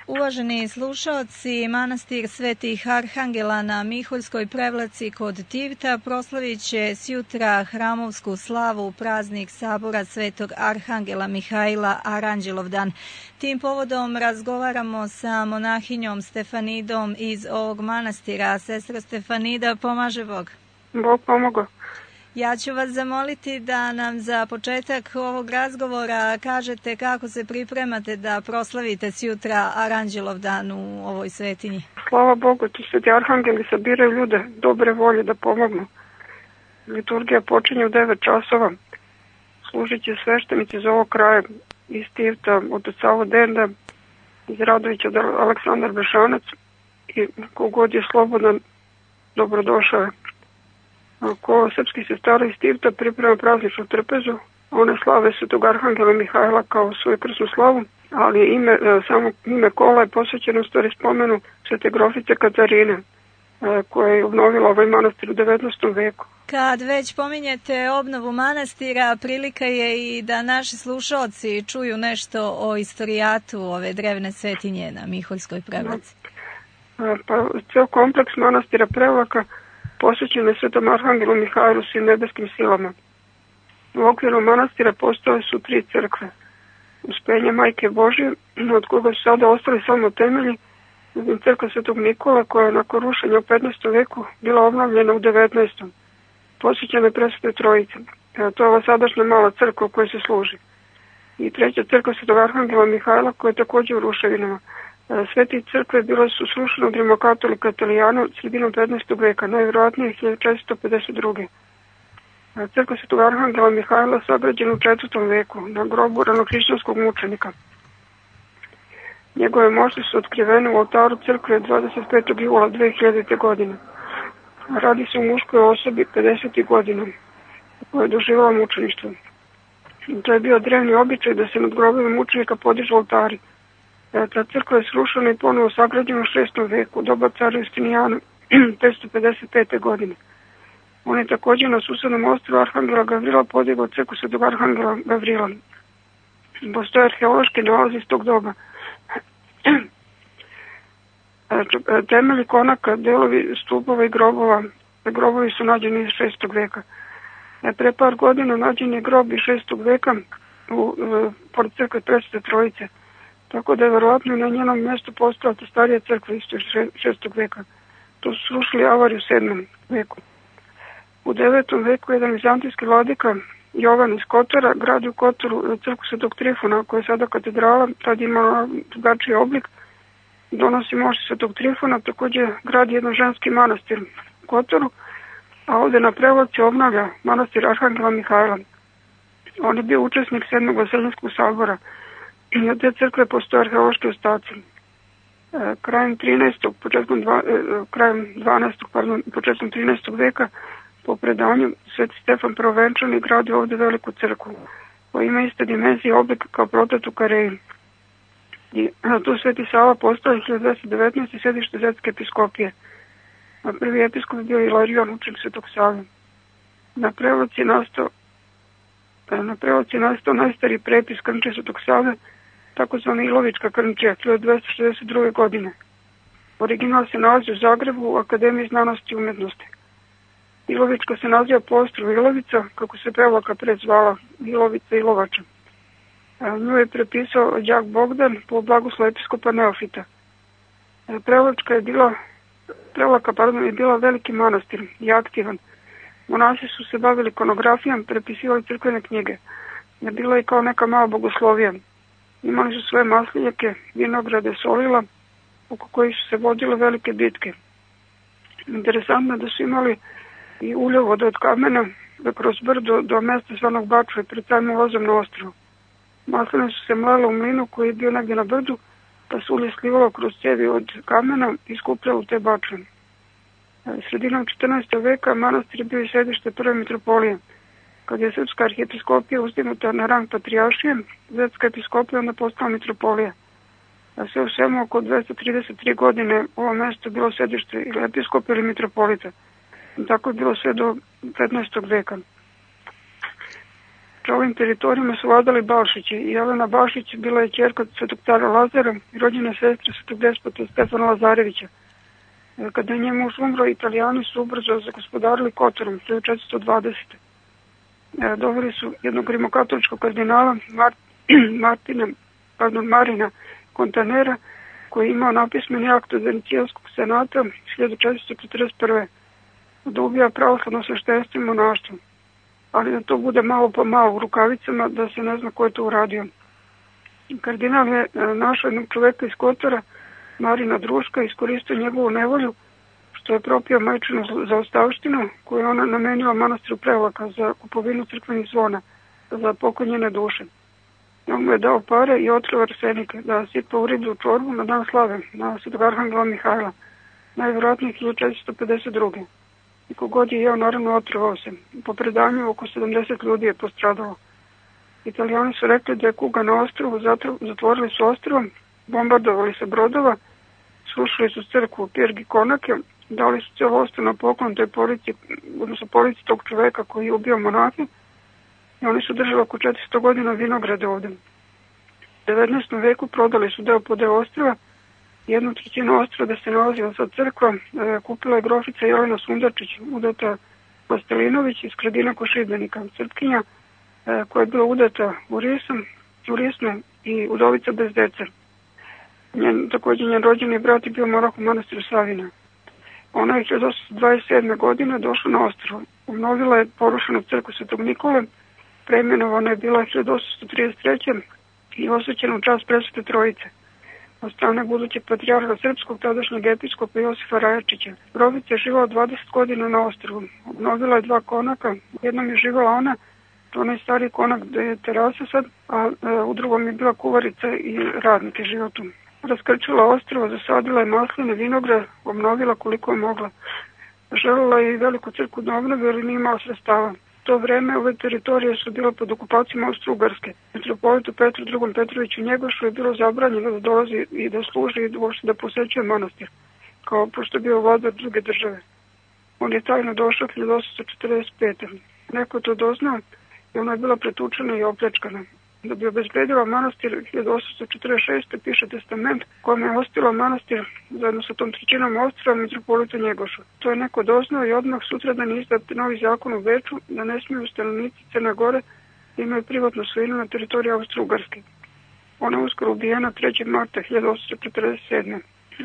Uvaženi slušaoci, manastir Svetih Arhangela na Miholjskoj Prevlaci kod Tivta proslavit će sjutra hramovsku slavu praznik sabora Svetog Arhangela Mihajla Aranđelovdan. Tim povodom razgovaramo sa monahinjom Stefanidom iz ovog manastira. Sestra Stefanida, pomaže Bog. Bog pomogao. Ja ću vas zamoliti da nam za početak ovog razgovora kažete kako se pripremate da proslavite sjutra Aranđelovdan u ovoj svetinji. Slava Bogu, ti sveti arhangeli sabiraju ljude dobre volje da pomognu. Liturgija počinje u 9 časova. Služit će sveštenici iz ovog kraja, iz Tivta, od Savo Denda, iz Radovića od Aleksandar Bešanac i kogod je slobodan, dobrodošao je. Ko srpski sestara iz Tivta priprema prazničnu trpezu, one slave Svetog Arhangela Mihajla kao svoju krsnu slavu, ali samo ime kola je posvećeno stvari spomenu Svete grofice Katarine, koja je obnovila ovaj manastir u 19. veku. Kad već pominjete obnovu manastira, prilika je i da naši slušalci čuju nešto o istorijatu ove drevne svetinje na Miholjskoj Prevlaci. Pa ceo kompleks manastira Prevlaka posvećen je Svetom Arhangelu Mihajlu svim nebeskim silama. U okviru manastira postoje su 3 crkve. Uspenje Majke Božje, od koga su sada ostali samo temelji, crkva Svetog Nikola, koja je nakon rušenja u 15. veku bila obnovljena u 19. Posvećena je Presvetoj Trojici. To je ova sadašnja mala crkva u kojoj se služi. I 3. crkva Svetog Arhangela Mihajla, koja je također u ruševinama. Sve te crkve bile su srušene od rimokatolika Italijana sredinom 15. veka, najvjerojatnije 1452. Crkva Svetog Arhangela Mihajla sagrađena u 4. veku na grobu ranohrišćanskog mučenika. Njegove mošti su otkrivene u oltaru crkve 25. jula 2000. godine. Radi se o muškoj osobi 50. godina koja je doživjela mučeništvo. To je bio drevni običaj da se nad grobima mučenika podižu oltari. Ta crkva je srušena i ponovo sagrađena u 6. veku, u doba cara Justinijana 555. godine. On je također na susednom ostrvu Arhangela Gavrila podigao crkvu Svetog Arhangela Gavrila. Postoje arheološki nalazi iz tog doba. Temelji konaka, delovi stupova i grobova. Grobovi su nađeni iz 6. veka. Pre par godina nađen je grob iz 6. veka pored crkve Presvete Trojice. Tako da je verovatno na njenom mjestu postala ta starija crkva isto iz 6. veka. To su srušili avariju u 7. veku. U 9. veku jedan vizantijski vladika Jovan iz Kotora gradi u Kotoru crkvu Svetog Trifona, koja je sada katedrala, tad ima drugačiji oblik, donosi mošti Svetog Trifona, također gradi jedan ženski manastir u Kotoru, a ovdje na Prevlaci obnavlja manastir Arhangela Mihajla. On je bio učesnik 7. Vaseljenskog sabora. I od te crkve postoje arheološki ostaci. Krajem 12. početkom 13. veka po predanju Sveti Stefan Prvenčani gradi ovdje veliku crkvu koja ima iste dimenzije i oblik kao protet u Kareji. I tu Sveti Sava postao 1219. sedište Zetske episkopije. A prvi episkop je bio Ilarion, učenik Svetog Save. Na Prevlaci je nastao najstariji prepis krnče Svetog Save, takozvana Ilovička krnčija, 1262. godine. Original se nalazi u Zagrebu u Akademiji znanosti i umjetnosti. Ilovička se naziva po ostrvu Ilovica, kako se Prevlaka prezvala Ilovica Ilovača. Nju je prepisao đak Bogdan po blagoslovu episkopa Neofita. Prevlaka je bila veliki manastir i aktivan. Monasi su se bavili ikonografijom, prepisivali crkvene knjige. Je bila i kao neka mala bogoslovija. Imali su svoje maslinjake, vinograde, solila, oko kojih su se vodile velike bitke. Interesantno je da su imali i uljevode od kamena kroz brdo do mjesta zvanog Bačve pred samim ulazom na ostrvo. Masline su se mlele u mlinu koji je bio negdje na brdu, pa su ulje slivalo kroz cijevi od kamena i skupljalo u te bačve. Sredinom 14. veka manastir je bio i središte prve mitropolije. Kad je srpska arhijepiskopija uzdignuta na rang patrijaršije, Zetska episkopija onda postala mitropolija. A sve u svemu oko 233 godine ovo mjesto bilo središte ili episkopa ili mitropolita. I tako je bilo sve do 15. veka. Ovim teritorijama su vladali Balšići i Jelena Balšić bila je ćerka svetog cara Lazara i rođena sestra svetog despota Stefana Lazarevića. Kada je njen muž umro, Italijani su ubrzo zagospodarili Kotorom 1420. Doveli su jednog rimokatoličkog kardinala Marina Kontanera, koji je imao napismeni akt od Venecijanskog senata 1441. da ubija pravoslavno sveštenstvo i monaštvo, ali da to bude malo po malo u rukavicama, da se ne zna ko je to uradio. Kardinal je našao jednog čoveka iz Kotora, Marina Druška, iskoristio njegovu nevolju, što je propio majčinu zaostavštinu koju je ona namenila manastiru Prevlaka za kupovinu crkvenih zvona za poklonjene duše. On mu je dao pare i otkrio arsenik da sipa u riblju čorbu na dan slave, na svetog arhangela Mihajla, najvjerojatnije 1452. I kogod je jeo, naravno otrvao se. Po predanju oko 70 ljudi je postradalo. Italijani su rekli da je kuga na ostrvu, zatvorili su ostrvo, bombardovali se brodova, srušili su crkvu Pirgi Konake, dali su cijelo ostrvo na poklon toj polici, odnosno polici tog čoveka koji je ubio monahe, i oni su držali oko 400 godina vinograde ovde. U 19. veku prodali su deo po deo ostrva, 1/3 ostrva da se nalazila sad crkva, kupila je grofica Jelena Sundarčić, udata Pastelinović iz Kradina kod Šibenika, Srpkinja, koja je bila udata u Risnu i udovica bez dece. Također njen rođeni brat je bio monah u manastiru Savina. Ona je 1827. godine došla na ostrvo. Obnovila je porušenu crkvu Svetog Nikole, preimenovana je bila 1833. i osvećena u čast Presvete Trojice od strane budućeg patrijarha srpskog, tadašnjeg episkopa Josifa Rajačića. Grofica je živala 20 godina na ostrvu. Obnovila je 2 konaka. U jednom je živala ona, onaj stari konak gde je terasa sad, a u drugom je bila kuvarica i radnik je živao tu. Raskrčila ostrvo, zasadila je masline, vinograd, obnovila koliko je mogla. Želela je i veliku crkvu da obnovi, ali nije imala sredstava. U to vreme ove teritorije su bile pod okupacijom Austro-Ugarske. Metropolitu Petru II. Petroviću Njegošu je bilo zabranjeno da dolazi i da služi i da posećuje manastir, kao pošto je bio vladar druge države. On je tajno došao 1845. Neko to doznao i ona je bila pretučena i opljačkana. Da bi obezbedila manastir 1846. piše testament kojom je ostila manastir zajedno sa tom 1/3 ostrva metropolita Njegošu. To je neko doznao i odmah sutradan je izdat novi zakon u Beču da ne smiju stanovnici Crne Gore da imaju privatnu svojinu na teritoriji Austro-Ugarske. Ona je uskoro ubijena 3. marta 1847.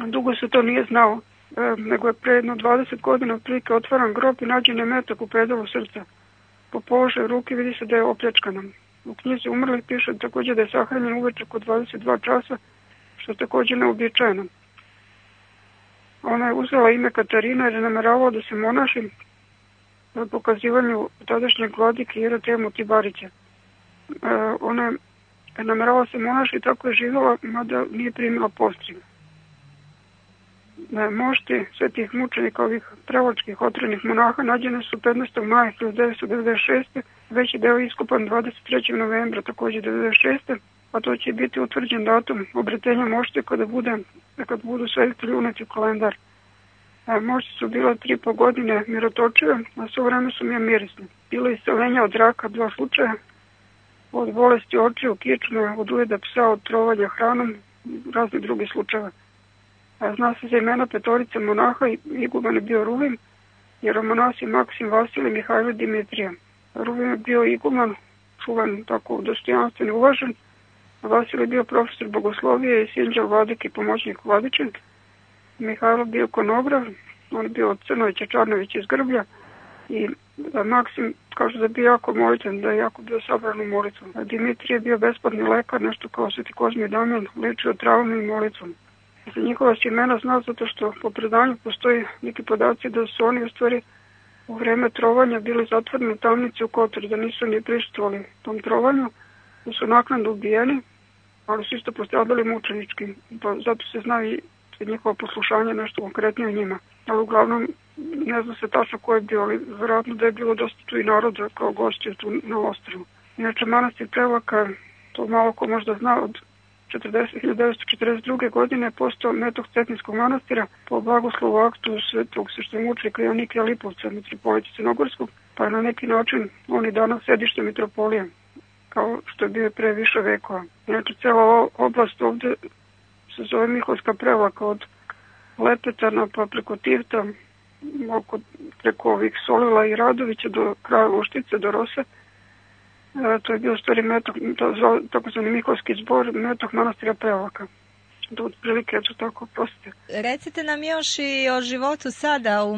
Dugo se to nije znao, nego je pre jedno 20 godina otprilike otvaran grob i nađen je metak u pedalu srca. Po položaju ruke vidi se da je opljačkana. U knjizi umrlih piše također da je sahranjen uveče oko 22 časa, što je također neobičajeno. Ona je uzela ime Katarina jer je nameravala da se monaši na pokazivanju tadašnjeg vladike Jeratemu Tibarića. Ona je nameravala se monaši i tako je živjela, mada nije primila postrijeg. Mošti svetih mučenika ovih prevlačkih otrenih monaha nađene su 15. maja 1996. Veći deo iskopan 23. novembra također 1996. a to će biti utvrđen datum obretenja mošte kada budu svetitelji uneti u kalendar. Mošti su bila 3,5 godine mirotočive, a sve vreme su mi mirisne. Bilo je isceljenja od raka 2 slučaja, od bolesti očiju, kičme, od ujeda psa, od trovanja hranom, razni drugi slučajeva. Zna se za imena 5 monaha i iguman je bio Ruvim, jeromonasi Maksim, Vasilij, Mihajlo, Dimitrija. Ruvim je bio iguman, čuvan, tako dostojanstven i uvažen. Vasilij je bio profesor bogoslovije i sinđel vladik i pomoćnik vladičin. Mihajlo bio konobrav, on je bio od Crnovića Čarnović iz Grblja. I Maksim kaže da je bio jako molitven, da je jako bio sabran u molitvu. Dimitrij je bio besplatni lekar, nešto kao Sveti Kozmi i Damjan, lečio travom i molitvom. Za njihova se imena zna zato što po predanju postoji neki podaci da su oni u stvari u vreme trovanja bili zatvoreni u tamnici u Kotoru, da nisu ni prisustvovali tom trovanju, da su naknadno ubijeni, ali su isto postradali mučenički, pa zato se zna i njihovo poslušanje nešto konkretnije o njima. Ali uglavnom ne zna se tačno ko je bio, ali vjerojatno da je bilo dosta tu i naroda kao gošće tu na ostrvu. Inače, manastir Prevlaka, to malo ko možda zna, od 1942. godine postao metok Cetinskog manastira po blagoslovu aktu svetog sveštemučenika Jonikija Lipovca, mitropolita Crnogorskog, pa je na neki način on i danas sedište mitropolije. kao što je bio pre više vekova. Znači, cela oblast ovde se zove Miholjska Prevlaka od Lepetana pa preko Tivta, preko ovih Solila i Radovića do kraja Uštice, do Rose. To je bio stvari metok, takozvani Miholjski zbor, metok manastira Prevlaka. Da otprilike, eto tako, prostite. Recite nam još i o životu sada u